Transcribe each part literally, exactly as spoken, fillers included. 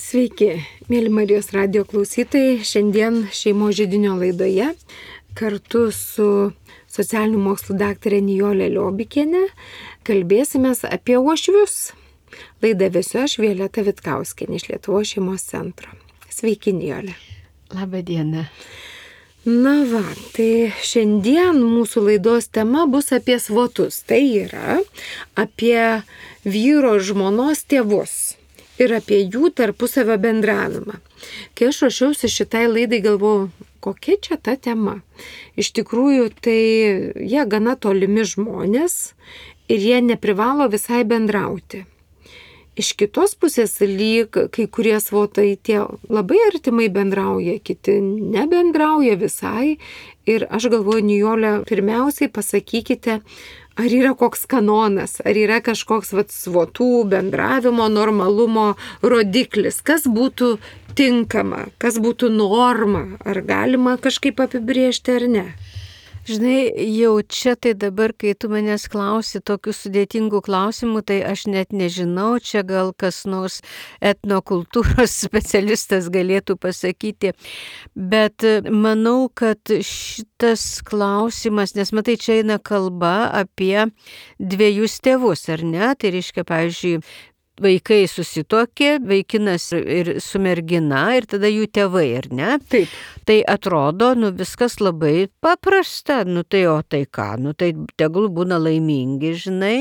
Sveiki, mėly Marijos radijo klausytojai. Šiandien šeimos židinio laidoje kartu su socialinių mokslų daktarė Nijolė Liobikienė kalbėsime apie uošvius. Laidą vesiu aš, Violeta Vitkauskienė iš Lietuvos šeimos centro. Sveiki, Nijolė. Labą dieną. Na va, tai šiandien mūsų laidos tema bus apie svotus. Tai yra apie vyro žmonos tėvus ir apie jų tarpusavio bendravimą. Kai aš ruošiausi šitai laidai, galvojau, kokia čia ta tema. Iš tikrųjų, tai jie gana tolimi žmonės ir jie neprivalo visai bendrauti. Iš kitos pusės, lyg kai kurie svotai tie labai artimai bendrauja, kiti nebendrauja visai. Ir aš galvoju, Nijolė, pirmiausiai pasakykite, ar yra koks kanonas, ar yra kažkoks vat, svotų bendravimo normalumo rodiklis, kas būtų tinkama, kas būtų norma, ar galima kažkaip apibrėžti ar ne. Žinai, jau čia tai dabar, kai tu manęs klausi tokių sudėtingų klausimų, tai aš net nežinau, čia gal kas nors etnokultūros specialistas galėtų pasakyti, bet manau, kad šitas klausimas, nes matai, čia eina kalba apie dviejus tėvus, ar ne? Tai reiškia, pavyzdžiui, vaikai susituokė, vaikinas ir su mergina ir tada jų tėvai, ar ne? Taip. Tai atrodo, nu viskas labai paprasta, nu tai o tai ką, nu tai tegul būna laimingi, žinai,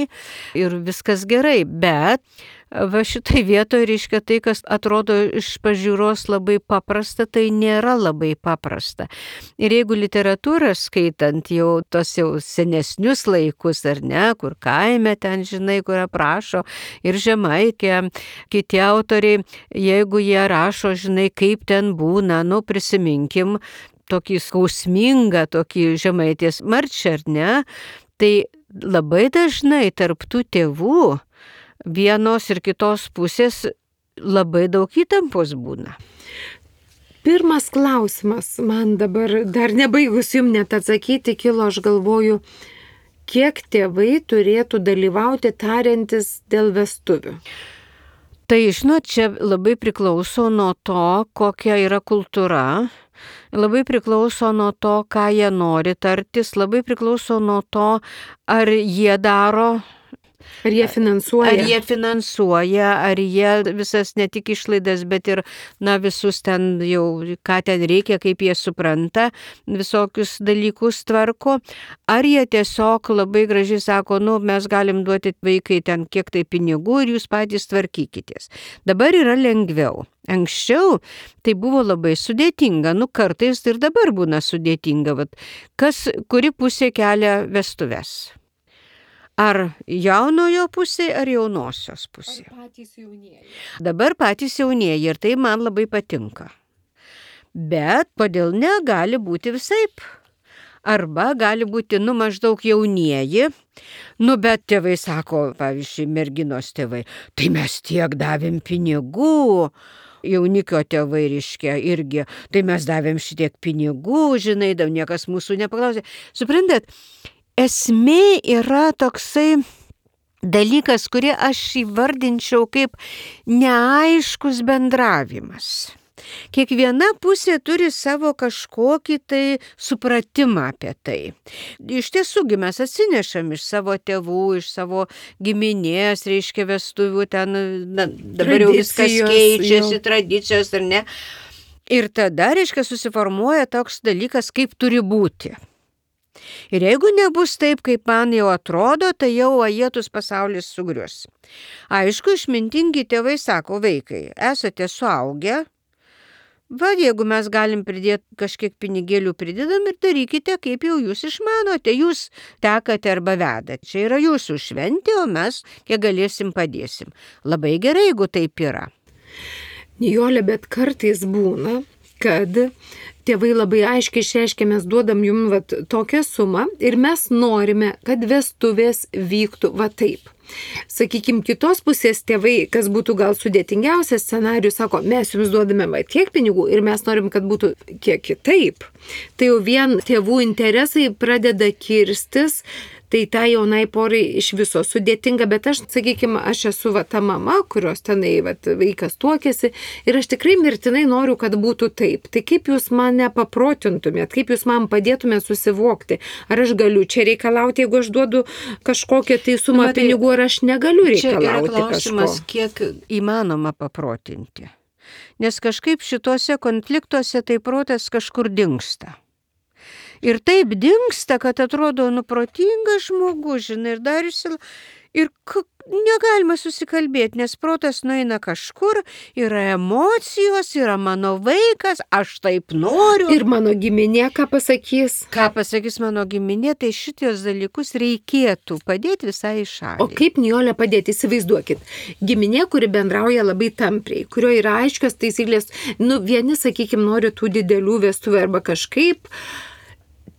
ir viskas gerai, bet va šitai vietoje reiškia tai, kas atrodo iš pažiūros labai paprasta, tai nėra labai paprasta. Ir jeigu literatūrą skaitant jau tos jau senesnius laikus, ar ne, kur kaime ten, žinai, kur aprašo ir Žemaitė, kiti autoriai, jeigu jie rašo, žinai, kaip ten būna, nu prisiminkim tokį skausmingą, tokį Žemaitės marčią, ar ne, tai labai dažnai tarp tų tėvų vienos ir kitos pusės labai daug įtampos būna. Pirmas klausimas man dabar, dar nebaigus jums net atsakyti, kilo, aš galvoju, kiek tėvai turėtų dalyvauti tariantis dėl vestuvių? Tai, žinot, čia labai priklauso nuo to, kokia yra kultūra, labai priklauso nuo to, ką jie nori tartis, labai priklauso nuo to, ar jie daro. Ar jie finansuoja? Ar jie finansuoja, ar jie visas ne tik išlaidas, bet ir, na, visus ten jau, ką ten reikia, kaip jie supranta, visokius dalykus tvarko. Ar jie tiesiog labai gražiai sako, nu, mes galim duoti vaikai ten kiek tai pinigų ir jūs patys tvarkykitės. Dabar yra lengviau. Anksčiau tai buvo labai sudėtinga, nu, kartais ir dabar būna sudėtinga. Vat, kas, kuri pusė kelia vestuves? Ar jaunojo pusė, ar jaunosios pusė? Ar patys jaunieji? Dabar patys jaunieji ir tai man labai patinka. Bet kodėl ne, gali būti visaip. Arba gali būti, nu, maždaug jaunieji, nu, bet tėvai sako, pavyzdžiui, merginos tėvai, tai mes tiek davėm pinigų. Jaunikio tėvai reiškia irgi, tai mes davėm šitiek pinigų, žinai, daug niekas mūsų nepaklausė. Suprantat? Esmė yra toksai dalykas, kurį aš įvardinčiau kaip neaiškus bendravimas. Kiekviena pusė turi savo kažkokį tai supratimą apie tai. Iš tiesųgi mes atsinešam iš savo tėvų, iš savo giminės, reiškia vestuvių, ten na, dabar jau viskas keičiasi, tradicijos ar ne. Ir tada, reiškia, susiformuoja toks dalykas, kaip turi būti. Ir jeigu nebus taip, kaip man jau atrodo, tai jau ajetus pasaulis sugrius. Aišku, išmintingi tėvai sako, vaikai, esate suaugę, va, jeigu mes galim pridėti kažkiek pinigėlių pridedam ir darykite, kaip jau jūs išmanote, jūs tekate arba vedate. Čia yra jūsų šventė, o mes, kiek galėsim, padėsim. Labai gerai, jeigu taip yra. Nijolė, bet kartais būna, kad tėvai labai aiškiai išreiškia, mes duodam jums vat, tokią sumą ir mes norime, kad vestuvės vyktų va taip. Sakykime, kitos pusės tėvai, kas būtų gal sudėtingiausias scenarijus, sako, mes jums duodame va tiek pinigų ir mes norim, kad būtų kiek kitaip. Tai jau vien tėvų interesai pradeda kirstis, Tai ta jaunai porai iš viso sudėtinga, bet aš, sakykime, aš esu va, ta mama, kurios tenai va, vaikas tuokėsi ir aš tikrai mirtinai noriu, kad būtų taip. Tai kaip jūs mane paprotintumėt, kaip jūs man padėtumėt susivokti, ar aš galiu čia reikalauti, jeigu aš duodu kažkokią tai sumą Matai, pinigų, ar aš negaliu reikalauti kažko. Čia yra klausimas, kiek įmanoma paprotinti. Nes kažkaip šituose konfliktuose tai protas kažkur dingsta. Ir taip dingsta, kad atrodo nuprotingas žmogus, žinai, ir dar išsil... Ir negalima susikalbėti, nes protas nueina kažkur, yra emocijos, yra mano vaikas, aš taip noriu. Ir mano giminė ką pasakys? Ką pasakys mano giminė, tai šitos dalykus reikėtų padėti visai šaliai. O kaip, Nijole, padėti? Įsivaizduokit. Giminė, kuri bendrauja labai tampriai, kurio yra aiškios taisyklės, nu, vieni, sakykime, nori tų didelių vestuvių arba kažkaip,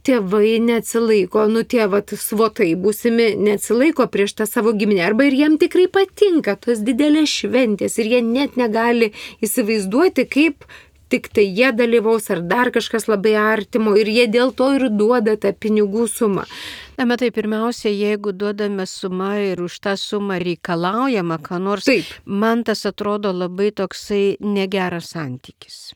tėvai neatsilaiko, nu tie vat svotai būsimi neatsilaiko prieš tą savo giminę, arba ir jiem tikrai patinka tos didelės šventės ir jie net negali įsivaizduoti, kaip tik tai jie dalyvaus ar dar kažkas labai artimo ir jie dėl to ir duoda tą pinigų sumą. Na, matai, pirmiausia, jeigu duodame sumą ir už tą sumą reikalaujama, ką nors, Taip. Man tas atrodo labai toksai negeras santykis.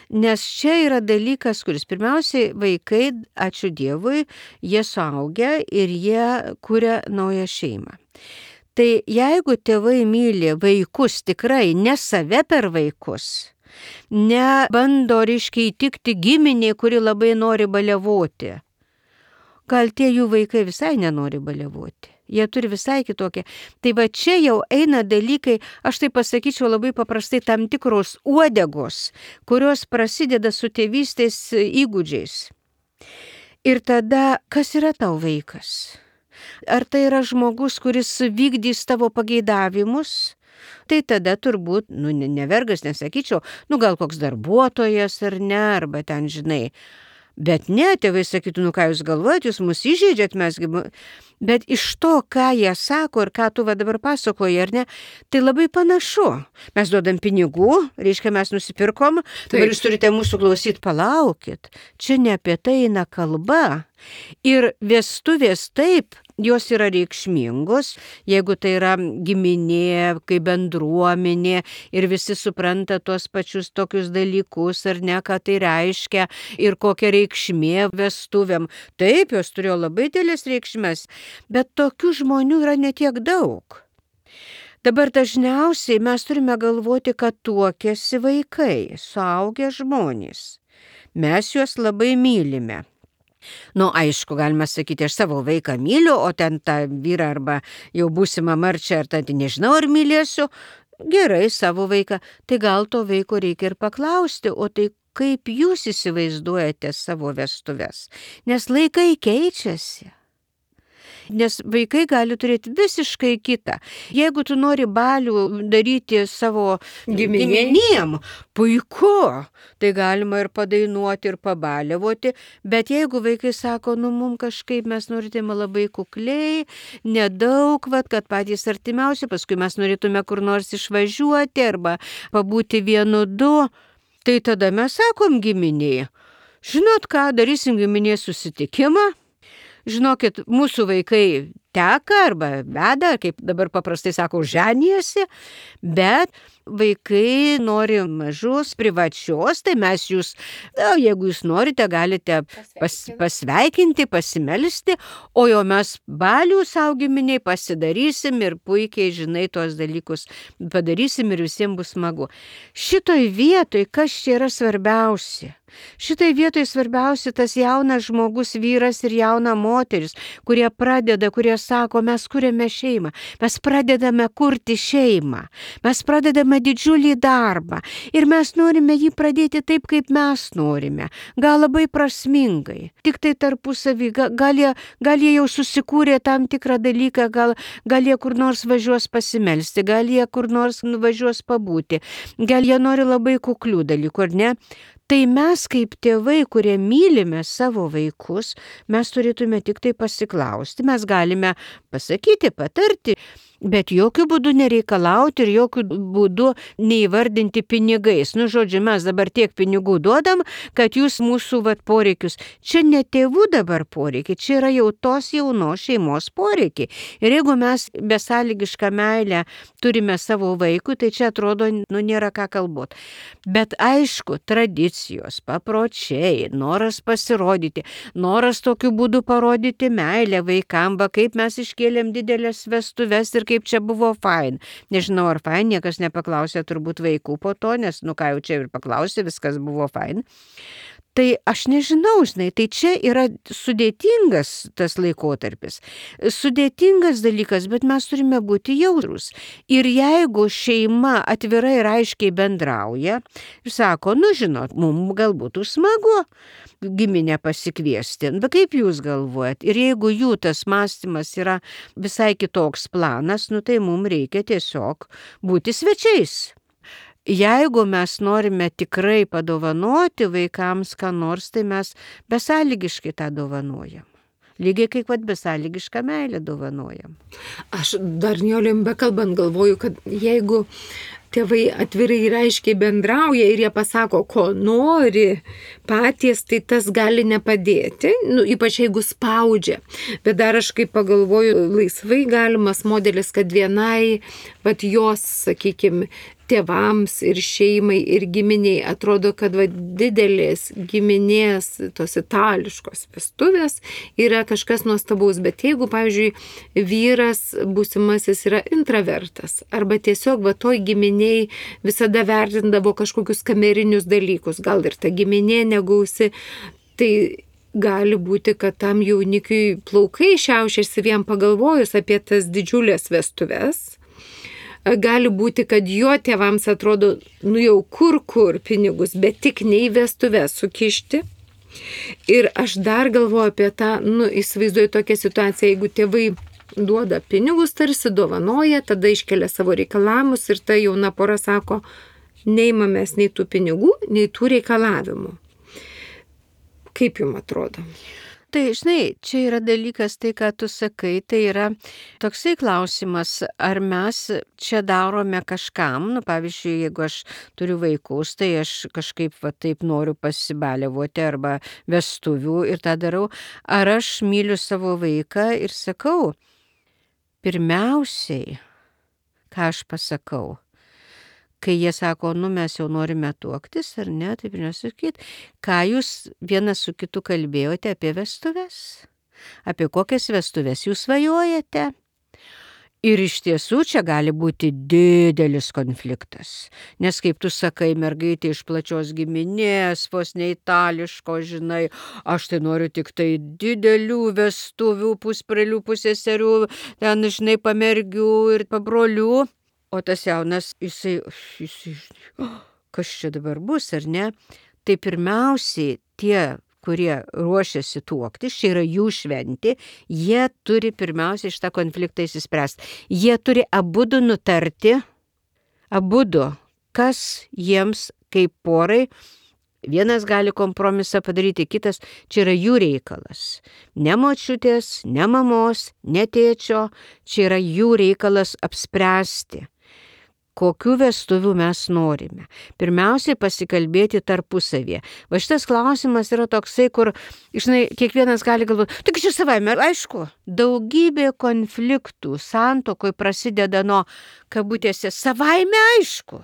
Nes čia yra dalykas, kuris pirmiausiai vaikai, ačiū Dievui, jie suaugę ir jie kuria naują šeimą. Tai jeigu tėvai myli vaikus tikrai, ne save per vaikus, ne bando ryškiai įtikti giminiai, kuri labai nori baliavoti, gal tie jų vaikai visai nenori baliavoti. Jie turi visai kitokią. Tai va čia jau eina dalykai, aš tai pasakyčiau labai paprastai, tam tikros uodegos, kurios prasideda su tėvystės įgūdžiais. Ir tada, kas yra tau vaikas? Ar tai yra žmogus, kuris vykdys tavo pageidavimus? Tai tada turbūt, nu, ne vergas, nesakyčiau, nu, gal koks darbuotojas ar ne, arba ten, žinai. Bet ne, tėvai sakytų, nu ką jūs galvojat, jūs mus įžeidžiat, mesgi... Bet iš to, ką jie sako ir ką tu va dabar pasakoji, ar ne, tai labai panašu. Mes duodam pinigų, reiškia, mes nusipirkom, dabar jūs turite mūsų klausyti, palaukit. Čia ne apie tai eina kalba. Ir vestuvės taip, jos yra reikšmingos, jeigu tai yra giminė, kaip bendruomenė ir visi supranta tuos pačius tokius dalykus, ar ne, ką tai reiškia ir kokia reikšmė vestuvėm. Taip, jos turėjo labai didelės reikšmės, bet tokių žmonių yra netiek daug. Dabar dažniausiai mes turime galvoti, kad tuokiasi vaikai, suaugę žmonės. Mes juos labai mylime. Nu, aišku, galima sakyti, aš savo vaiką myliu, o ten tą vyrą arba jau būsimą marčią, ar ten nežinau, ar mylėsiu. Gerai, savo vaiką. Tai gal to vaiko reikia ir paklausti, o tai kaip jūs įsivaizduojate savo vestuves? Nes laikai keičiasi. Nes vaikai gali turėti visiškai kitą. Jeigu tu nori balių daryti savo giminėm, puiku, tai galima ir padainuoti, ir pabaliavoti, bet jeigu vaikai sako, nu, mum kažkaip mes norėtume labai kukliai, nedaug, vat, kad patys artimiausi, paskui mes norėtume kur nors išvažiuoti arba pabūti vienu du, tai tada mes sakom giminiai, žinot ką, darysim giminės susitikimą. Žinokit, mūsų vaikai teka arba veda, kaip dabar paprastai sako, ženijasi, bet vaikai nori mažos, privačios, tai mes jūs, na, jeigu jūs norite, galite pas, pasveikinti, pasimelsti, o jau mes balių saugiminiai pasidarysim ir puikiai, žinai, tuos dalykus padarysim ir visiems bus smagu. Šitoj vietoj, kas čia yra svarbiausia? Šitai vietoj svarbiausia tas jaunas žmogus, vyras ir jauna moteris, kurie pradeda, kurie sako, mes kuriame šeimą, mes pradedame kurti šeimą, mes pradedame didžiulį darbą ir mes norime jį pradėti taip, kaip mes norime, gal labai prasmingai, tik tai tarpusavį, gal jie, gal jie jau susikūrė tam tikrą dalyką, gal, gal jie kur nors važiuos pasimelsti, gal jie kur nors važiuos pabūti, gal jie nori labai kuklių dalykų, ar ne? Tai mes kaip tėvai, kurie mylime savo vaikus, mes turėtume tik tai pasiklausti, mes galime pasakyti, patarti, Bet jokių būdų nereikalauti ir jokių būdų neįvardinti pinigais. Nu, žodžiu, mes dabar tiek pinigų duodam, kad jūs mūsų vat, poreikius. Čia ne tėvų dabar poreikiai, čia yra jau tos jaunos šeimos poreikiai. Ir jeigu mes besąlygišką meilę turime savo vaikui, tai čia atrodo, nu, nėra ką kalbot. Bet aišku, tradicijos, papročiai, noras pasirodyti, noras tokiu būdu parodyti meilę vaikam, va kaip mes iškėlėm didelės vestuves ir kaip čia buvo fain. Nežinau, ar fain, niekas nepaklausė turbūt vaikų po to, nes, nu ką jau čia ir paklausė, viskas buvo fain. Tai aš nežinau, žinai, tai čia yra sudėtingas tas laikotarpis. Sudėtingas dalykas, bet mes turime būti jautrūs. Ir jeigu šeima atvirai ir aiškiai bendrauja ir sako, nu žinot, mums galbūt smagu giminę pasikviesti, bet kaip jūs galvojat? Ir jeigu jų tas mąstymas yra visai kitoks planas, nu tai mums reikia tiesiog būti svečiais. Jeigu mes norime tikrai padovanoti vaikams ką nors, tai mes besąlygiškai tą dovanojam. Lygiai kaip pat besąlygišką meilę dovanojam. Aš dar Nijolėm bekalbant galvoju, kad jeigu tėvai atvirai ir aiškiai bendrauja ir jie pasako, ko nori patys, tai tas gali nepadėti, nu, ypač jeigu spaudžia. Bet dar aš kaip pagalvoju, laisvai galimas modelis, kad vienai, vat jos, sakykime, tėvams ir šeimai ir giminiai atrodo, kad va, didelės giminės, tos itališkos vestuvės yra kažkas nuostabaus, bet jeigu, pavyzdžiui, vyras būsimasis yra intravertas arba tiesiog va toj giminiai visada vertindavo kažkokius kamerinius dalykus, gal ir ta giminė negausi, tai gali būti, kad tam jaunikiui plaukai šiaušiasi vien pagalvojus apie tas didžiulės vestuves. Gali būti, kad jo tėvams atrodo, nu jau kur kur pinigus, bet tik ne į vestuves sukišti. Ir aš dar galvoju apie tą, nu įsivaizduoju tokią situaciją, jeigu tėvai duoda pinigus, tarsi dovanoja, tada iškelia savo reikalavimus ir ta jauna pora sako, neimamės nei tų pinigų, nei tų reikalavimų. Kaip jums atrodo? Tai, žinai, čia yra dalykas, tai, ką tu sakai, tai yra toksai klausimas, ar mes čia darome kažkam, nu, pavyzdžiui, jeigu aš turiu vaikus, tai aš kažkaip va taip noriu pasibaliavoti arba vestuvių ir tą darau, ar aš myliu savo vaiką ir sakau, pirmiausiai, ką aš pasakau, kai jie sako, nu mes jau norime tuoktis, ar ne, taip nesakyti, ką jūs vienas su kitu kalbėjote apie vestuves? Apie kokias vestuves jūs svajojate? Ir iš tiesų čia gali būti didelis konfliktas, nes kaip tu sakai, mergaitė iš plačios giminės, vos ne itališko, žinai, aš tai noriu tik tai didelių vestuvių, pusbrolių, pusseserių, ten, žinai, pamergių ir pabrolių. O tas jaunas, jisai, jisai, kas čia dabar bus, ar ne? Tai pirmiausiai tie, kurie ruošiasi tuoktis, čia yra jų šventė, jie turi pirmiausiai šitą konfliktą įsispręsti. Jie turi abudu nutarti, abudu, kas jiems kaip porai, vienas gali kompromisą padaryti, kitas, čia yra jų reikalas. Ne močiutės, ne mamos, ne tėčio, čia yra jų reikalas apspręsti. Kokių vestuvių mes norime. Pirmiausiai pasikalbėti tarpusavėje. Va šitas klausimas yra toksai, kur, žinai, kiekvienas gali galvoti, tik čia savaime, aišku, daugybė konfliktų santuokoj prasideda nuo, kabutėse, savaime aišku.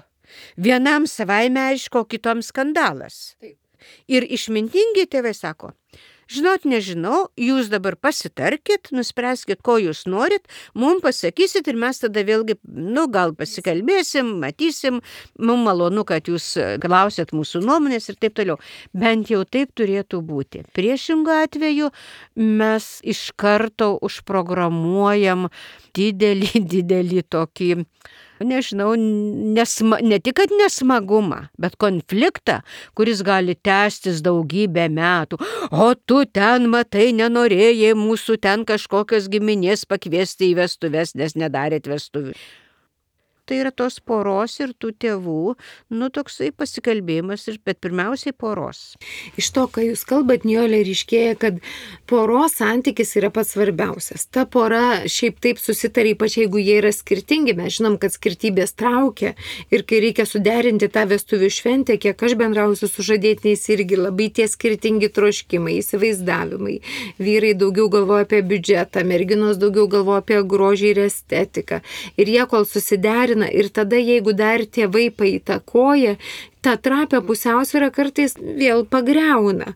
Vienam savaime aišku, o kitom skandalas. Taip. Ir išmintingi tėvai sako, žinot, nežinau, jūs dabar pasitarkit, nuspręskit, ko jūs norit, mums pasakysit ir mes tada vėlgi, nu, gal pasikalbėsim, matysim, mums malonu, kad jūs klausėt mūsų nuomonės ir taip toliau. Bent jau taip turėtų būti. Priešingų atveju mes iš karto užprogramuojam didelį, didelį tokį, nežinau, nesma, ne tik, kad nesmagumą, bet konfliktą, kuris gali tęstis daugybę metų. O tu ten, matai, nenorėjai mūsų ten kažkokios giminės pakviesti į vestuves, nes nedarėt vestuvių. Tai yra tos poros ir tų tėvų, nu toksai pasikalbėjimas, bet pirmiausiai poros. Iš to, ką jūs kalbat, Nijolė, ryškėja, kad poros santykis yra pats svarbiausias. Ta pora šiaip taip susitarė, ypač jeigu jie yra skirtingi, mes žinom, kad skirtybės traukia ir kai reikia suderinti tą vestuvių šventę, kiek aš bendrausiu su žadėtiniais, irgi labai tie skirtingi troškimai, įsivaizdavimai. Vyrai daugiau galvoja apie biudžetą, merginos daugiau galvoja apie grožį ir estetiką. Ir jie kol susiderina, ir tada, jeigu dar tėvai paįtakoja, tą trapę pusiausvyrą kartais vėl pagriauna.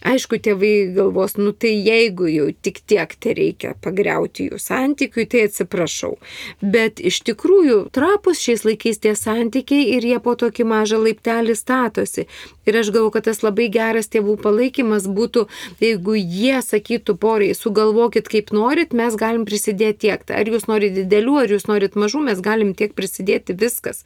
Aišku, tėvai galvos, nu tai jeigu jau tik tiek tai reikia pagriauti jų santykiui, tai atsiprašau. Bet iš tikrųjų trapus šiais laikais tie santykiai ir jie po tokį mažą laiptelį statosi. Ir aš galvoju, kad tas labai geras tėvų palaikymas būtų, jeigu jie sakytų porai, sugalvokit kaip norit, mes galim prisidėti tiek. Ar jūs norit didelių, ar jūs norit mažų, mes galim tiek prisidėti, viskas.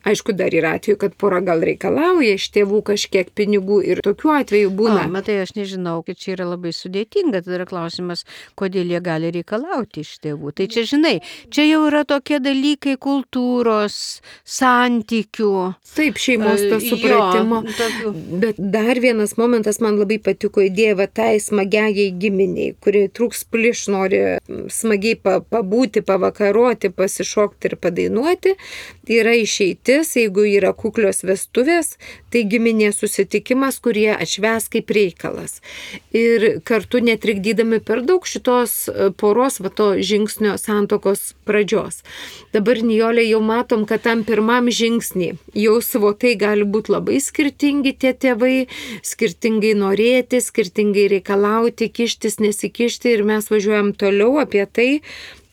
Aišku, dar yra atveju, kad pora gal reikia lauja iš tėvų kažkiek pinigų ir tokių atvejų būna. O, matai, aš nežinau, kad čia yra labai sudėtinga, tai yra klausimas, kodėl jie gali reikalauti iš tėvų. Tai čia, žinai, čia jau yra tokie dalykai kultūros, santykių. Taip, šeimos to supratimo. Jo, tokių. Bet dar vienas momentas man labai patiko idėja, va tai smagiai giminiai, kurie trūks pliš, nori smagiai pabūti, pavakaroti, pasišokti ir padainuoti. Tai yra išeitis, jeigu yra kuklios vestuvės, tai giminės susitikimas, kurie atšvęs kaip reikalas. Ir kartu netrikdydami per daug šitos poros, va to žingsnio santokos pradžios. Dabar, Nijolė, jau matom, kad tam pirmam žingsnį jau svotai gali būti labai skirtingi tie tėvai, skirtingai norėti, skirtingai reikalauti, kištis, nesikišti ir mes važiuojam toliau apie tai,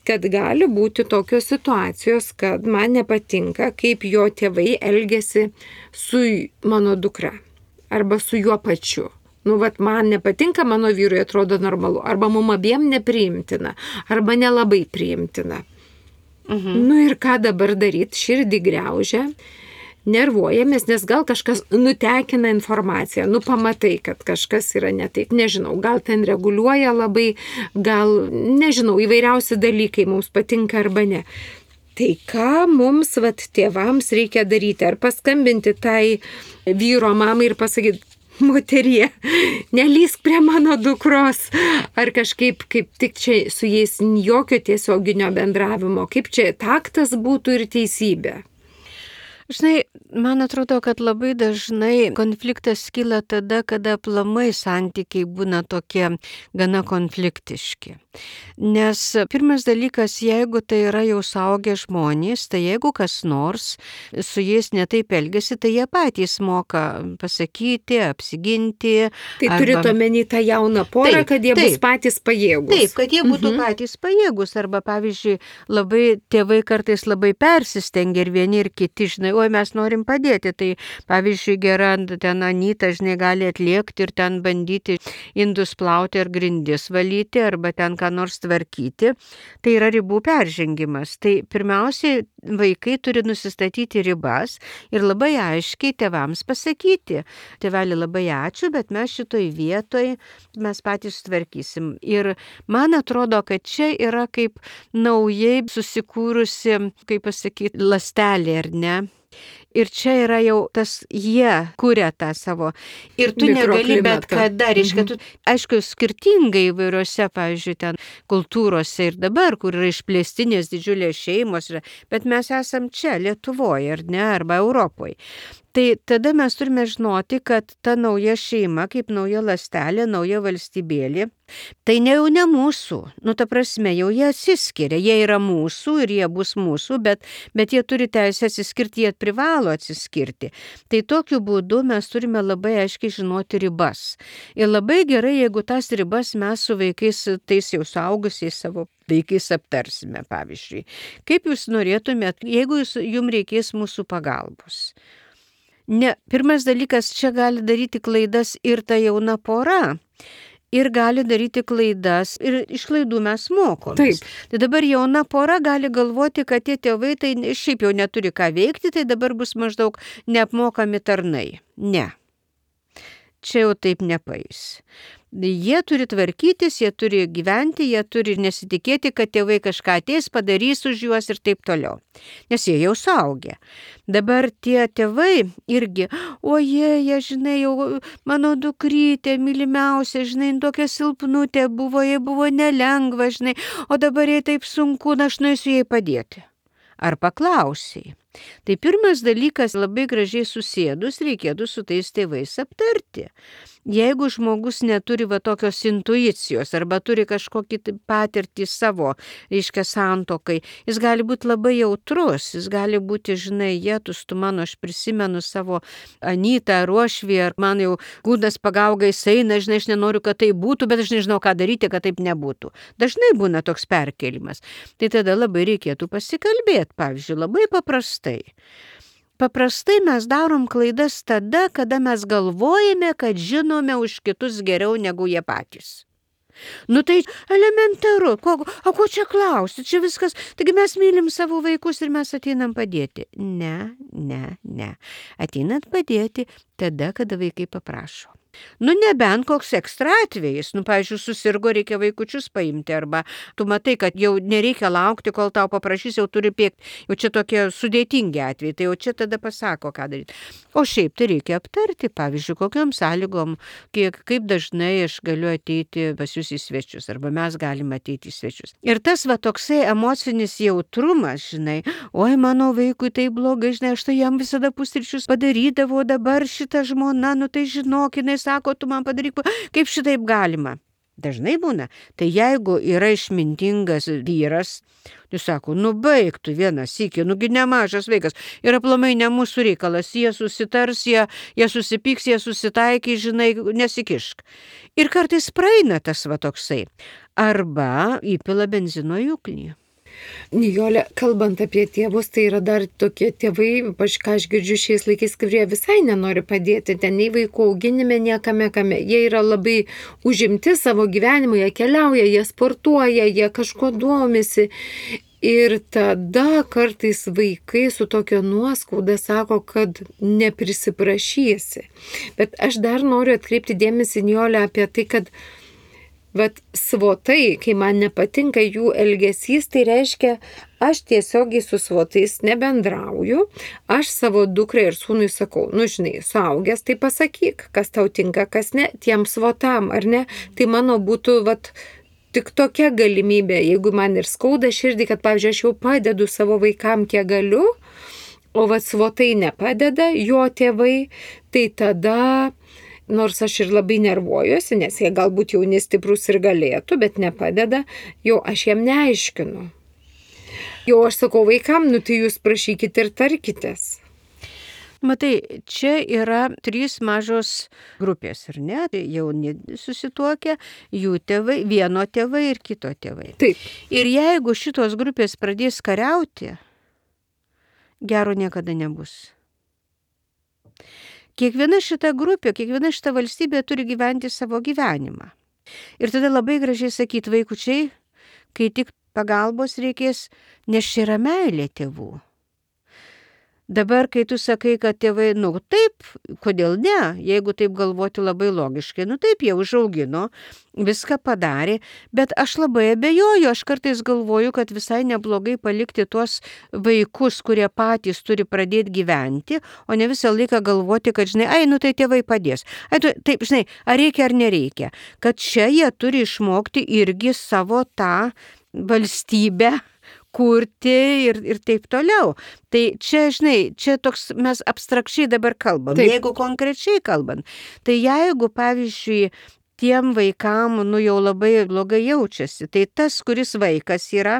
kad gali būti tokios situacijos, kad man nepatinka, kaip jo tėvai elgesi su mano dukra arba su juo pačiu. Nu, vat man nepatinka, mano vyrui atrodo normalu, arba mum abiem nepriimtina, arba nelabai priimtina. Mhm. Nu ir ką dabar daryti, širdį griaužia, nervuojamės, nes gal kažkas nutekina informaciją, nu pamatai, kad kažkas yra ne taip, nežinau, gal ten reguliuoja labai, gal, nežinau, įvairiausi dalykai mums patinka arba ne. Tai ką mums, vat, tėvams reikia daryti? Ar paskambinti tai vyro mamai ir pasakyti, moterie, nelysk prie mano dukros, ar kažkaip kaip tik čia su jais jokio tiesioginio bendravimo, kaip čia taktas būtų ir teisybė. Žinai, man atrodo, kad labai dažnai konfliktas kyla tada, kada aplamai santykiai būna tokie gana konfliktiški. Nes pirmas dalykas, jeigu tai yra jau suaugę žmonės, tai jeigu kas nors su jais netaip elgesi, tai jie patys moka pasakyti, apsiginti. Tai arba... turite omeny tą jauną porą, taip, kad jie taip, bus patys pajėgus. Taip, kad jie būtų mhm. patys pajėgus. Arba, pavyzdžiui, labai tėvai kartais labai persistengia ir vieni ir kiti, žinai, oi mes norim padėti. Tai, pavyzdžiui, gera ten Anyta, žinai, gali atliekti ir ten bandyti indus plauti ar grindis valyti, arba ten ką nors tvarkyti. Tai yra ribų peržengimas. Tai pirmiausiai vaikai turi nusistatyti ribas ir labai aiškiai tėvams pasakyti. Tėveli, labai ačiū, bet mes šitoj vietoj mes patys tvarkysim. Ir man atrodo, kad čia yra kaip naujai susikūrusi, kaip pasakyti, ląstelė, ar ne? Ir čia yra jau tas, jie kuria tą savo. Ir tu negali bet kada, reiškia, tu, aišku, skirtingai įvairiose, pavyzdžiui, ten kultūrose ir dabar, kur yra išplėstinės didžiulės šeimos, bet mes esam čia, Lietuvoje, ar ne, arba Europoje. Tai tada mes turime žinoti, kad ta nauja šeima, kaip nauja ląstelė, nauja valstybėlė, tai ne jau ne mūsų. Nu, ta prasme, jau jie atsiskiria. Jie yra mūsų ir jie bus mūsų, bet, bet jie turi teisę atsiskirti, jie privalo atsiskirti. Tai tokiu būdu mes turime labai aiškiai žinoti ribas. Ir labai gerai, jeigu tas ribas mes su vaikais, tais jau suaugusiais savo vaikais aptarsime, pavyzdžiui. Kaip jūs norėtumėt, jeigu jūs, jums reikės mūsų pagalbos? Ne, pirmas dalykas, čia gali daryti klaidas ir ta jauna pora. Ir gali daryti klaidas, ir iš klaidų mes mokomės. Taip. Tai dabar jauna pora gali galvoti, kad tie tėvai tai šiaip jau neturi ką veikti, tai dabar bus maždaug neapmokami tarnai. Ne. Čia jau taip nepaeis. Jie turi tvarkytis, jie turi gyventi, jie turi nesitikėti, kad tėvai kažką ateis, padarys už juos ir taip toliau. Nes jie jau suaugę. Dabar tie tėvai irgi, oje, jie, žinai, jau mano dukrytė, mylimiausia, žinai, tokia silpnutė buvo, jai buvo nelengva, žinai, o dabar jai taip sunku, na aš nueisiu jai padėti. Ar paklausiai? Tai pirmas dalykas, labai gražiai susėdus, reikėtų su tais tėvais aptarti. Jeigu žmogus neturi va tokios intuicijos arba turi kažkokį patirtį savo, reiškia, santuokai, jis gali būti labai jautrus, jis gali būti, žinai, jėtus, tu mano, aš prisimenu savo Anytą, Ruošvį, ar man jau gūdas pagauga eina, žinai, aš nenoriu, kad tai būtų, bet aš nežinau, ką daryti, kad taip nebūtų. Dažnai būna toks perkelimas. Tai tada labai reikėtų pasikalbėti, pavyzdžiui, labai paprastai. Paprastai mes darom klaidas tada, kada mes galvojame, kad žinome už kitus geriau negu jie patys. Nu tai elementaru, ko, o ko čia klausti, čia viskas, taigi mes mylim savo vaikus ir mes ateinam padėti. Ne, ne, ne. Ateinat padėti tada, kada vaikai paprašo. Nu, nebent koks ekstra atvejis, nu, pavyzdžiui, susirgo, reikia vaikučius paimti, arba tu matai, kad jau nereikia laukti, kol tau paprašys, jau turi pėkti, jau čia tokie sudėtingi atvejai, tai jau čia tada pasako, ką daryti. O šiaip tai reikia aptarti, pavyzdžiui, kokiam sąlygom, kiek, kaip dažnai aš galiu ateiti pas jūs į svečius, arba mes galime ateiti į svečius. Ir tas va toksai emocinis jautrumas, žinai, oi, mano vaikui tai blogai, žinai, aš tai jam visada pusryčius padarydavau, dabar šita žmona, nu tai žinok, jinai sako, tu man padaryk, kaip šitaip galima. Dažnai būna. Tai jeigu yra išmintingas vyras, jis sako, nu baig tu vieną sykį, nugi nemažas vaikas. Ir aplamai ne mūsų reikalas, jie susitars, jie, jie susipyks, jie susitaikys, žinai, nesikišk. Ir kartais praeina tas va toksai. Arba įpila benzino į ugnį. Nijole, kalbant apie tėvus, tai yra dar tokie tėvai, ypač ką aš girdžiu šiais laikais, kurie visai nenori padėti ten nei vaikų auginime, niekame kame. Jie yra labai užimti savo gyvenimu, jie keliauja, jie sportuoja, jie kažko domisi. Ir tada kartais vaikai su tokio nuoskauda sako, kad neprisiprašysi. Bet aš dar noriu atkreipti dėmesį, Nijole, apie tai, kad vat svotai, kai man nepatinka jų elgesys, tai reiškia, aš tiesiogiai su svotais nebendrauju, aš savo dukrai ir sūnui sakau, nu žinai, suaugęs, tai pasakyk, kas tau tinka, kas ne, tiem svotam, ar ne, tai mano būtų, vat, tik tokia galimybė, jeigu man ir skauda širdį, kad, pavyzdžiui, aš jau padedu savo vaikam, kiek galiu, o vat svotai nepadeda, jo tėvai, tai tada nors aš ir labai nervuojuosi, nes jie galbūt jauni stiprus ir galėtų, bet nepadeda, jau aš jiem neaiškinu. Jau aš sakau vaikam, nu tai jūs prašykit ir tarkitės. Matai, čia yra trys mažos grupės, ar ne? Jauni susituokia, jų tėvai, vieno tėvai ir kito tėvai. Taip. Ir jeigu šitos grupės pradės kariauti, gero niekada nebus. Kiekviena šita grupė, kiekviena šita valstybė turi gyventi savo gyvenimą. Ir tada labai gražiai sakyti vaikučiai, kai tik pagalbos reikės, nes čia yra meilė tėvų. Dabar, kai tu sakai, kad tėvai, nu taip, kodėl ne, jeigu taip galvoti labai logiškai, nu taip, jie užaugino, viską padarė, bet aš labai abejoju, aš kartais galvoju, kad visai neblogai palikti tuos vaikus, kurie patys turi pradėti gyventi, o ne visą laiką galvoti, kad, žinai, ai, nu tai tėvai padės. Ai, tu, taip, žinai, ar reikia ar nereikia, kad čia jie turi išmokti irgi savo tą valstybę, kurti ir, ir taip toliau. Tai čia, žinai, čia toks mes abstrakčiai dabar kalbam. Taip. Jeigu konkrečiai kalbant, tai jeigu, pavyzdžiui, tiem vaikam, nu jau labai blogai jaučiasi, tai tas, kuris vaikas yra,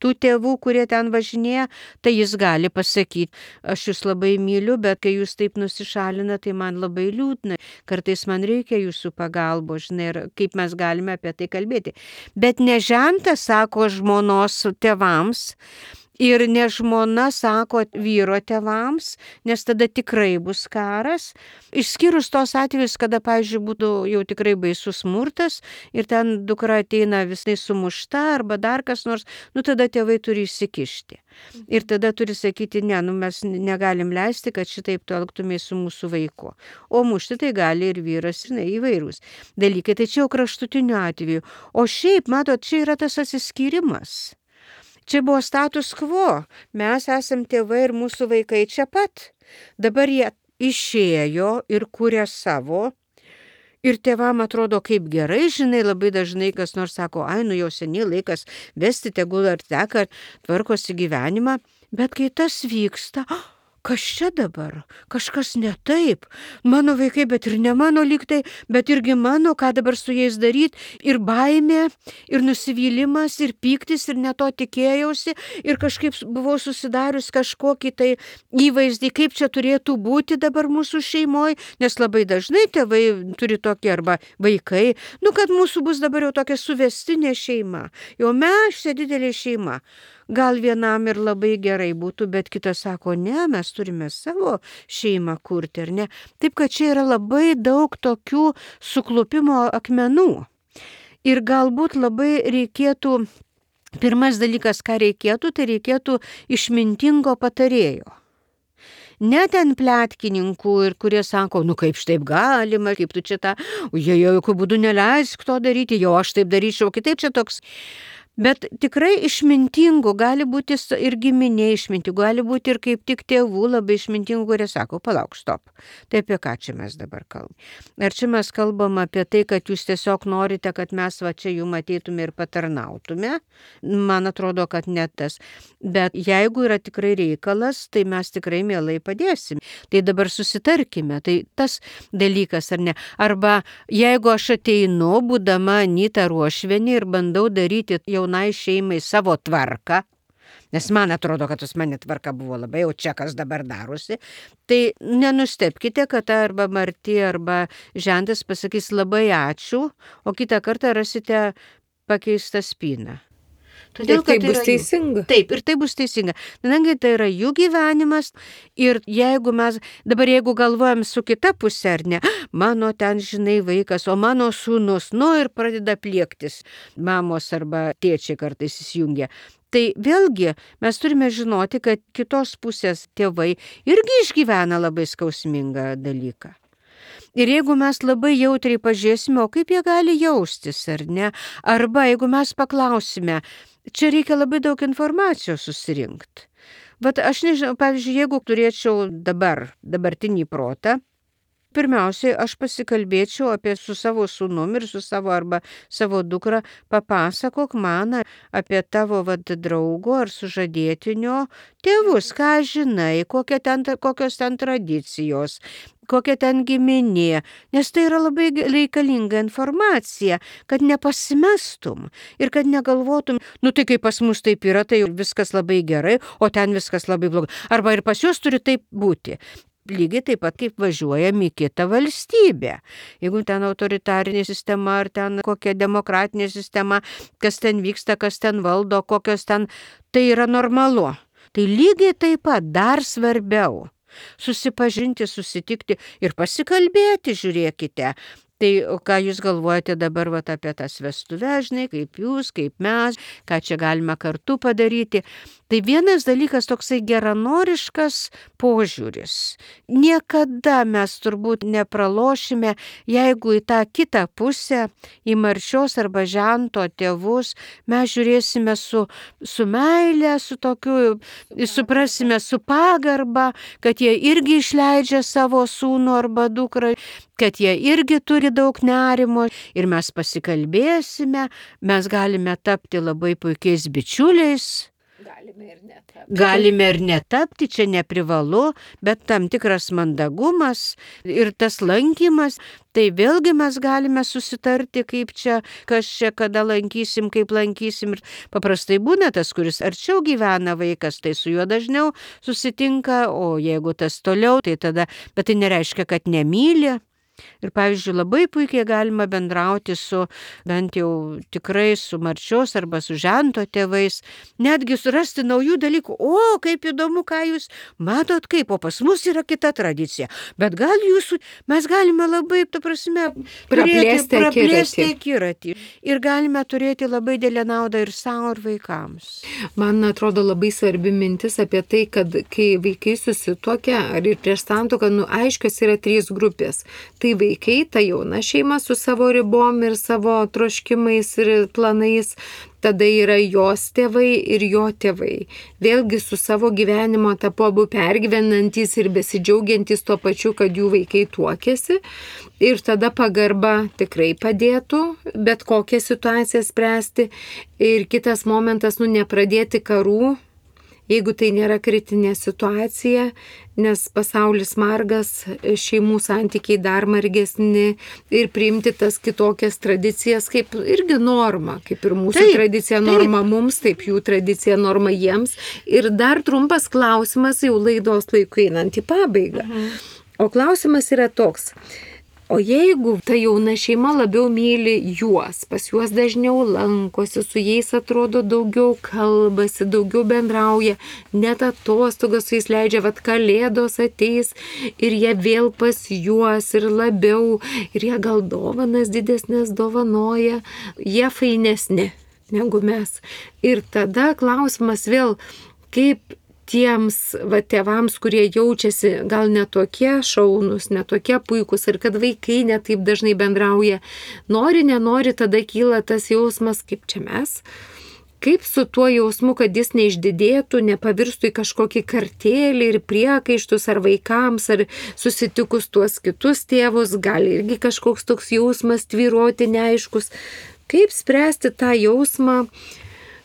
tų tėvų, kurie ten važinėja, tai jis gali pasakyti, aš jūs labai myliu, bet kai jūs taip nusišalina, tai man labai liūdna. Kartais man reikia jūsų pagalbo, žinai, ir kaip mes galime apie tai kalbėti. Bet ne žentas, sako žmonos tėvams, Ir ne žmona sako vyro tėvams, nes tada tikrai bus karas. Išskyrus tos atvejus, kada, pavyzdžiui, būtų jau tikrai baisus smurtas ir ten dukra ateina visai sumušta arba dar kas nors, nu tada tėvai turi įsikišti. Ir tada turi sakyti, ne, nu mes negalim leisti, kad šitaip tu elgtumės su mūsų vaiku. O mušti tai gali ir vyras, žinai, įvairūs dalykai. Tai čia jau kraštutiniu atveju. O šiaip, matot, čia yra tas atsiskyrimas. Čia buvo status quo. Mes esam tėvai ir mūsų vaikai čia pat. Dabar jie išėjo ir kūrė savo. Ir tėvam atrodo kaip gerai, žinai, labai dažnai kas nors sako, ai, nu jau seniai laikas vesti, tegul ar teka, tvarkosi gyvenimą. Bet kai tas vyksta, kas čia dabar? Kažkas ne taip. Mano vaikai, bet ir ne mano lygtai, bet irgi mano, ką dabar su jais daryti. Ir baimė, ir nusivylimas, ir pyktis, ir ne to tikėjausi. Ir kažkaip buvau susidarius kažkokį tai įvaizdį, kaip čia turėtų būti dabar mūsų šeimoje. Nes labai dažnai tėvai turi tokį arba vaikai, nu kad mūsų bus dabar jau tokia suvestinė šeima. Jau mes čia didelė šeima. Gal vienam ir labai gerai būtų, bet kitas sako, ne, mes turime savo šeimą kurti, ar ne? Taip, kad čia yra labai daug tokių suklupimo akmenų. Ir galbūt labai reikėtų, pirmas dalykas, ką reikėtų, tai reikėtų išmintingo patarėjo. Ne ten pletkininkų, ir kurie sako, nu kaip šitaip galima, kaip tu čia tą, jie jau jokių būdų neleisk to daryti, jau aš taip daryčiau, kitaip čia toks. Bet tikrai išmintingų, gali būti ir giminė išmintingų, gali būti ir kaip tik tėvų labai išmintingų, kurie sako, palauk, stop. Tai apie ką čia mes dabar kalbam? Ar čia mes kalbam apie tai, kad jūs tiesiog norite, kad mes va čia jum ateitume ir patarnautume? Man atrodo, kad ne tas. Bet jeigu yra tikrai reikalas, tai mes tikrai mielai padėsim. Tai dabar susitarkime, tai tas dalykas ar ne. Arba jeigu aš ateinu, būdama Anita Ruošvienė ir bandau daryti jaunai šeimai savo tvarką, nes man atrodo, kad pas mane tvarka buvo labai jau čia, kas dabar darosi, tai nenustebkite, kad arba Marti, arba Žentas pasakys labai ačiū, o kitą kartą rasite pakeistą spyną. Todėl, ir tai bus teisinga. Taip, ir tai bus teisinga. Nenangi tai yra jų gyvenimas ir jeigu mes, dabar jeigu galvojam su kita pusė, ar ne, mano ten, žinai, vaikas, o mano sūnus, nu ir pradeda pliektis, mamos arba tėčiai kartais įsijungia. Tai vėlgi mes turime žinoti, kad kitos pusės tėvai irgi išgyvena labai skausmingą dalyką. Ir jeigu mes labai jautriai pažiūrėsime, o kaip jie gali jaustis, ar ne? Arba jeigu mes paklausime, čia reikia labai daug informacijos susirinkti. Bet aš nežinau, pavyzdžiui, jeigu turėčiau dabar, dabartinį protą, pirmiausiai aš pasikalbėčiau apie su savo sūnum ir su savo arba savo dukra, papasakok man apie tavo vad draugo ar sužadėtinio tėvus, ką žinai, kokie ten, kokios ten tradicijos, kokia ten giminė, nes tai yra labai reikalinga informacija, kad nepasimestum ir kad negalvotum, nu tai kaip pas mus taip yra, tai viskas labai gerai, o ten viskas labai blogai. Arba ir pas juos turi taip būti. Lygiai taip pat kaip važiuojam į kitą valstybę. Jeigu ten autoritarinė sistema ar ten kokia demokratinė sistema, kas ten vyksta, kas ten valdo, kokios ten, tai yra normalu. Tai lygiai taip pat dar svarbiau susipažinti, susitikti ir pasikalbėti, žiūrėkite. Tai ką jūs galvojate dabar vat, apie tas vestuves, žinai, kaip jūs, kaip mes, ką čia galima kartu padaryti. Tai vienas dalykas toksai geranoriškas požiūris. Niekada mes turbūt nepralošime, jeigu į tą kitą pusę, į Marčios arba Žento tėvus, mes žiūrėsime su, su meile, su tokiu, suprasime su pagarba, kad jie irgi išleidžia savo sūnų arba dukrą, kad jie irgi turi daug nerimo ir mes pasikalbėsime, mes galime tapti labai puikiais bičiuliais. Galime ir netapti. Galime ir netapti, čia neprivalu, bet tam tikras mandagumas ir tas lankymas, tai vėlgi mes galime susitarti, kaip čia, kas čia, kada lankysim, kaip lankysim. Ir paprastai būna tas, kuris arčiau gyvena vaikas, tai su juo dažniau susitinka, o jeigu tas toliau, tai tada, bet tai nereiškia, kad nemyli. Ir, pavyzdžiui, labai puikiai galima bendrauti su, bent jau tikrai su Marčios arba su Žento tėvais, netgi surasti naujų dalykų. O, kaip įdomu, ką jūs matot, kaip, o pas mus yra kita tradicija. Bet gal jūsų, mes galime labai, ta prasme, Praplėsti turėti- praplėsti akiratį. akiratį. Ir galime turėti labai didelę naudą ir savo, ir vaikams. Man atrodo labai svarbi mintis apie tai, kad kai vaikai susituokia ar ir prieš santuoką, nu aiškios yra trys grupės. Tai vaikai, ta jauna šeima su savo ribom ir savo troškimais ir planais, tada yra jos tėvai ir jo tėvai. Vėlgi su savo gyvenimo etapu abu pergyvenantys ir besidžiaugiantys tuo pačiu, kad jų vaikai tuokėsi. Ir tada pagarba tikrai padėtų bet kokią situaciją spręsti. Ir kitas momentas, nu nepradėti karų, jeigu tai nėra kritinė situacija, nes pasaulis margas, šeimų santykiai dar margesni ir priimti tas kitokias tradicijas kaip irgi norma, kaip ir mūsų Taip, tradicija norma mums, taip jų tradicija norma jiems. Ir dar trumpas klausimas jau laidos laiku einant į pabaigą. O klausimas yra toks. O jeigu ta jauna šeima labiau myli juos, pas juos dažniau lankosi, su jais atrodo daugiau kalbasi, daugiau bendrauja, net atostogas su jais leidžia, vat kalėdos ateis ir jie vėl pas juos ir labiau, ir jie gal dovanas didesnės dovanoja, jie fainesni negu mes. Ir tada klausimas vėl, kaip tiems va, tėvams, kurie jaučiasi gal netokie šaunus, netokie puikus ir kad vaikai netaip dažnai bendrauja, nori, nenori, tada kyla tas jausmas, kaip čia mes, kaip su tuo jausmu, kad jis neišdidėtų, nepavirstų į kažkokį kartėlį ir priekaištus ar vaikams, ar susitikus tuos kitus tėvus, gali irgi kažkoks toks jausmas tvyroti neaiškus. Kaip spręsti tą jausmą,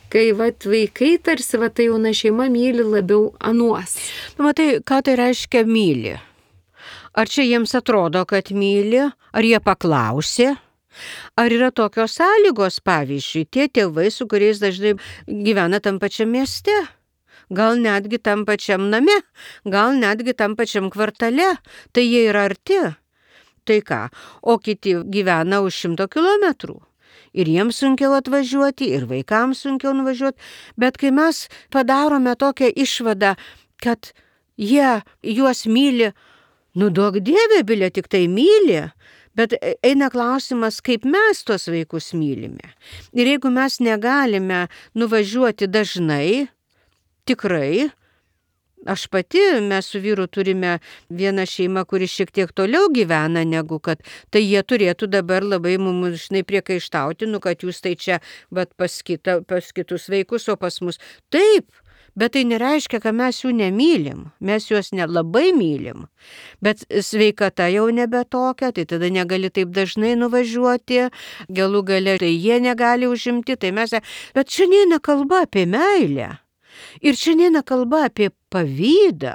kai vat, vaikai tarsi va, tai jauna šeima myli labiau anuos. Nu, matai, ką tai reiškia myli? Ar čia jiems atrodo, kad myli? Ar jie paklausė? Ar yra tokios sąlygos, pavyzdžiui, tie tėvai, su kuriais dažnai gyvena tam pačiam mieste? Gal netgi tam pačiam name? Gal netgi tam pačiam kvartale? Tai jie yra arti. Tai ką? O kiti gyvena už šimto kilometrų. Ir jiems sunkiau atvažiuoti, ir vaikams sunkiau nuvažiuoti. Bet kai mes padarome tokią išvadą, kad jie juos myli, nu duok Dieve, bilė tik tai myli, bet eina klausimas, kaip mes tos vaikus mylime. Ir jeigu mes negalime nuvažiuoti dažnai, tikrai, aš pati, mes su vyru turime vieną šeimą, kuri šiek tiek toliau gyvena negu kad, tai jie turėtų dabar labai mums žinai priekaištauti, nu kad jūs tai čia bet pas, kita, pas kitus vaikus, o pas mus. Taip, bet tai nereiškia, kad mes jų nemylim, mes juos nelabai mylim, bet sveikata jau nebe tokia, tai tada negali taip dažnai nuvažiuoti, galų gale tai jie negali užimti, tai mes, bet čia neina kalba apie meilę. Ir čia neina kalba apie pavydą.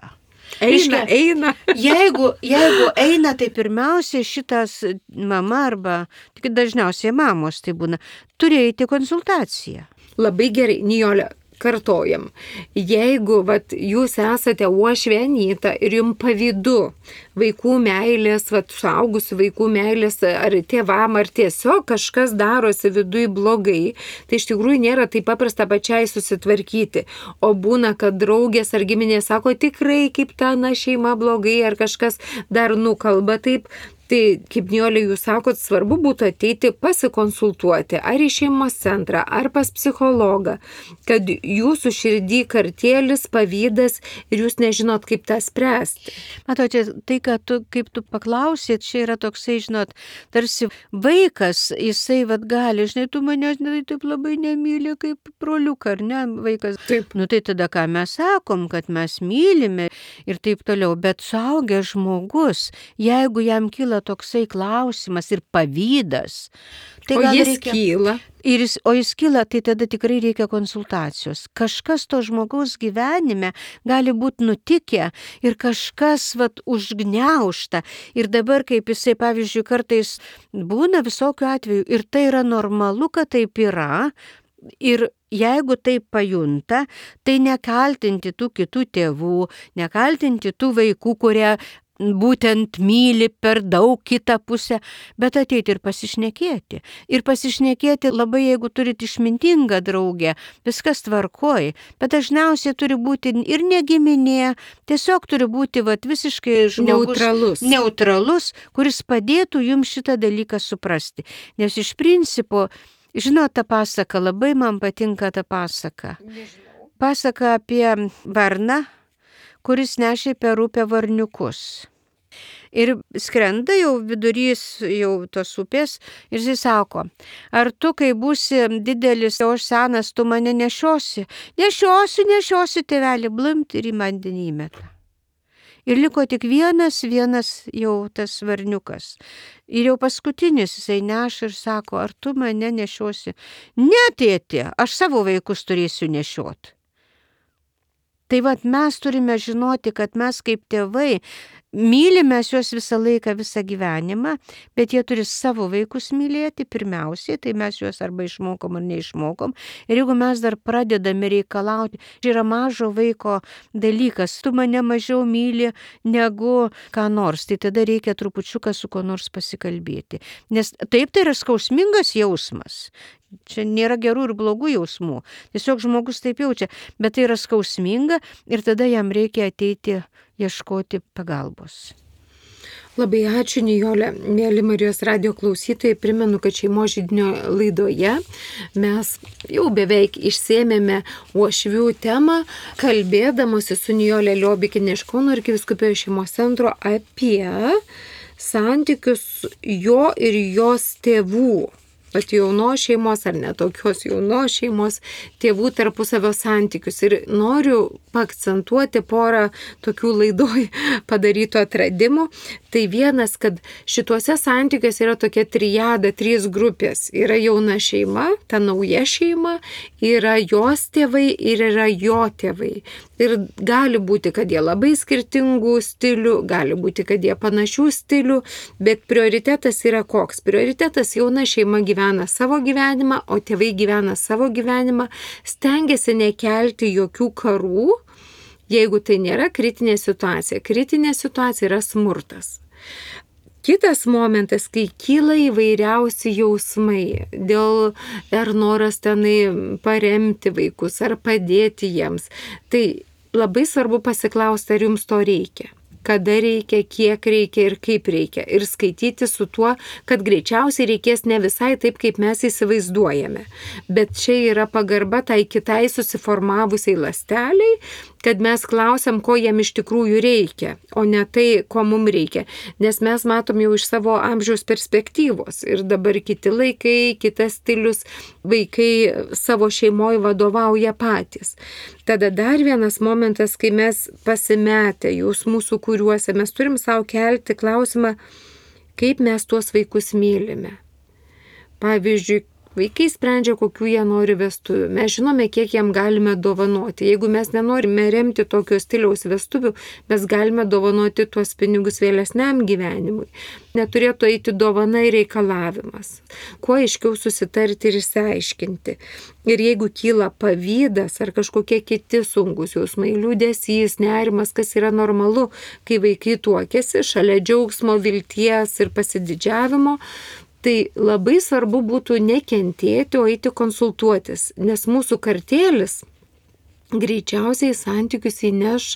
Eina, eina. Jeigu, jeigu eina, tai pirmiausia šitas mama arba, tik dažniausiai mamos tai būna, turi eiti konsultaciją. Labai gerai, Nijole, kartojam. Jeigu vat, jūs esate uošvė Anyta ir jums pavydu vaikų meilės, vat, suaugusių vaikų meilės ar tėvam, ar tiesiog kažkas darosi viduje blogai, tai iš tikrųjų nėra taip paprasta pačiai susitvarkyti. O būna, kad draugės ar giminės sako tikrai kaip ta na šeima blogai ar kažkas dar nukalba taip. Tai, kaip Nijolė, jūs sakot, svarbu būtų ateiti pasikonsultuoti ar į šeimos centrą, ar pas psichologą, kad jūsų širdį kartėlis, pavydas ir jūs nežinot, kaip tą spręsti. Matote, tai, kad tu, kaip tu paklausėt, čia yra toksai, žinot, tarsi vaikas, jisai vat gali, žinai, tu manęs ne, taip labai nemyli kaip broliuką, ar ne, vaikas. Taip. Nu tai tada ką mes sakom, kad mes mylime ir taip toliau, bet suaugęs žmogus, jeigu jam kyla toksai klausimas ir pavydas. Tai o jis reikia, kyla. Ir jis, o jis kyla, tai tada tikrai reikia konsultacijos. Kažkas to žmogaus gyvenime gali būti nutikę ir kažkas vat, užgniaužta. Ir dabar, kaip jisai, pavyzdžiui, kartais būna visokių atvejų ir tai yra normalu, kad taip yra. Ir jeigu taip pajunta, tai nekaltinti tų kitų tėvų, nekaltinti tų vaikų, kurie būtent myli per daug kitą pusę, bet ateiti ir pasišnekėti. Ir pasišnekėti labai, jeigu turit išmintingą draugę, viskas tvarkoj, bet dažniausiai turi būti ir negiminė, tiesiog turi būti vat, visiškai žmogus neutralus. neutralus, kuris padėtų jums šitą dalyką suprasti. Nes iš principo, žinot, ta pasaka, labai man patinka ta pasaka. Nežinau. Pasaka apie varną, kuris nešė per upę varniukus. Ir skrenda jau vidurys jau tos upės ir jis sako, ar tu, kai būsi didelis, o aš senas, tu mane nešiosi? Nešiosiu, nešiosiu, tėvelį, blimt ir į vandenį įmeta. Ir liko tik vienas, vienas jau tas varniukas. Ir jau paskutinis jisai neša ir sako, ar tu mane nešiosi? Ne, tėti, aš savo vaikus turėsiu nešioti. Tai vat mes turime žinoti, kad mes kaip tėvai mylime juos visą laiką, visą gyvenimą, bet jie turi savo vaikus mylėti pirmiausiai, tai mes juos arba išmokom ar neišmokom. Ir jeigu mes dar pradedame reikalauti, tai yra mažo vaiko dalykas, tu mane mažiau myli negu ką nors, tai tada reikia trupučiuką su kuo nors pasikalbėti. Nes taip tai yra skausmingas jausmas. Čia nėra gerų ir blogų jausmų. Tiesiog žmogus taip jaučia, bet tai yra skausminga ir tada jam reikia ateiti ieškoti pagalbos. Labai ačiū, Nijolė. Mėly Marijos radijo klausytojai, primenu, kad Šeimos židinio laidoje mes jau beveik išsėmėme uošvių temą, kalbėdamosi su Nijolė Liobikienė iš Kauno arkivyskupijos šeimos centro apie santykius jo ir jos tėvų. Pat jaunos šeimos ar netokios jaunos šeimos tėvų tarpusavio santykius. Ir noriu paakcentuoti porą tokių laidoj padarytų atradimų. Tai vienas, kad šituose santykiuose yra tokia trijada, trys grupės. Yra jauna šeima, ta nauja šeima, yra jos tėvai ir yra jo tėvai. Ir gali būti, kad jie labai skirtingų stilių, gali būti, kad jie panašių stilių, bet prioritetas yra koks? Prioritetas jauna šeima gyvena savo gyvenimą, o tėvai gyvena savo gyvenimą, stengiasi nekelti jokių karų, jeigu tai nėra kritinė situacija. Kritinė situacija yra smurtas. Kitas momentas, kai kyla įvairiausi jausmai dėl ar noras tenai paremti vaikus, ar padėti jiems, tai labai svarbu pasiklausti, ar jums to reikia. Kada reikia, kiek reikia ir kaip reikia. Ir skaityti su tuo, kad greičiausiai reikės ne visai taip, kaip mes įsivaizduojame. Bet čia yra pagarba tai kitai susiformavusiai ląsteliai, kad mes klausiam, ko jiem iš tikrųjų reikia, o ne tai, ko mums reikia. Nes mes matom jau iš savo amžiaus perspektyvos. Ir dabar kiti laikai, kitas stilius, vaikai savo šeimoje vadovauja patys. Tada dar vienas momentas, kai mes pasimetę jausmų sukūriuose, mes turim savo kelti klausimą, kaip mes tuos vaikus mylime. Pavyzdžiui, vaikai sprendžia, kokių jie nori vestuvių. Mes žinome, kiek jiem galime dovanoti. Jeigu mes nenorime remti tokio stiliaus vestuvių, mes galime dovanoti tuos pinigus vėlesniam gyvenimui. Neturėtų eiti dovana ir reikalavimas. Kuo aiškiau susitarti ir išsiaiškinti. Ir jeigu kyla pavydas ar kažkokie kiti sunkus jausmai, liūdesys, nerimas, kas yra normalu, kai vaikai tuokiasi, šalia džiaugsmo, vilties ir pasididžiavimo, tai labai svarbu būtų nekentėti, o eiti konsultuotis, nes mūsų kartėlis greičiausiai santykius įneš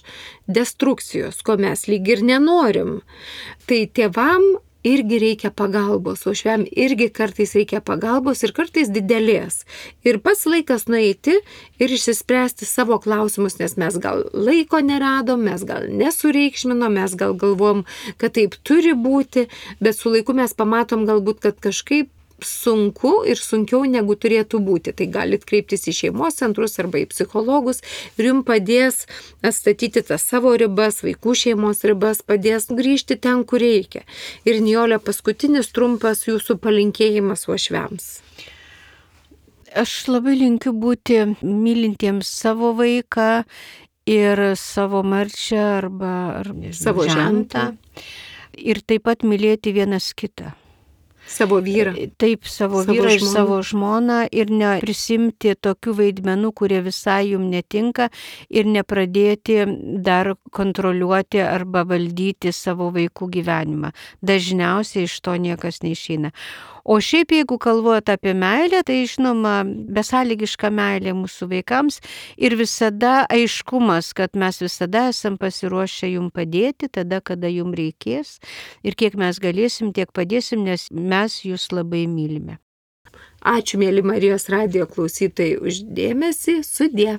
destrukcijos, ko mes lyg ir nenorim. Tai tėvam irgi reikia pagalbos, o švem irgi kartais reikia pagalbos ir kartais didelės. Ir pats laikas nueiti ir išsispręsti savo klausimus, nes mes gal laiko neradom, mes gal nesureikšminom, mes gal galvom, kad taip turi būti, bet su laiku mes pamatom galbūt, kad kažkaip sunku ir sunkiau negu turėtų būti. Tai galit kreiptis į šeimos centrus arba į psichologus ir jums padės atstatyti tas savo ribas, vaikų šeimos ribas, padės grįžti ten, kur reikia. Ir Nijolė, paskutinis trumpas jūsų palinkėjimas uošviams. Aš labai linkiu būti mylintiems savo vaiką ir savo marčią arba ar, savo žentą. Ir taip pat mylėti vienas kitą. Savo vyrą. Taip, savo, savo vyrą ir savo žmoną ir neprisimti tokių vaidmenų, kurie visai jums netinka ir nepradėti dar kontroliuoti arba valdyti savo vaikų gyvenimą. Dažniausiai iš to niekas neišeina. O šiaip, jeigu kalbate apie meilę, tai žinoma, besąlygiška meilė mūsų vaikams ir visada aiškumas, kad mes visada esam pasiruošę jums padėti, tada, kada jums reikės ir kiek mes galėsim, tiek padėsim, nes mes jūs labai mylime. Ačiū, mėly Marijos radijo klausytojai, už dėmesį. Sudie.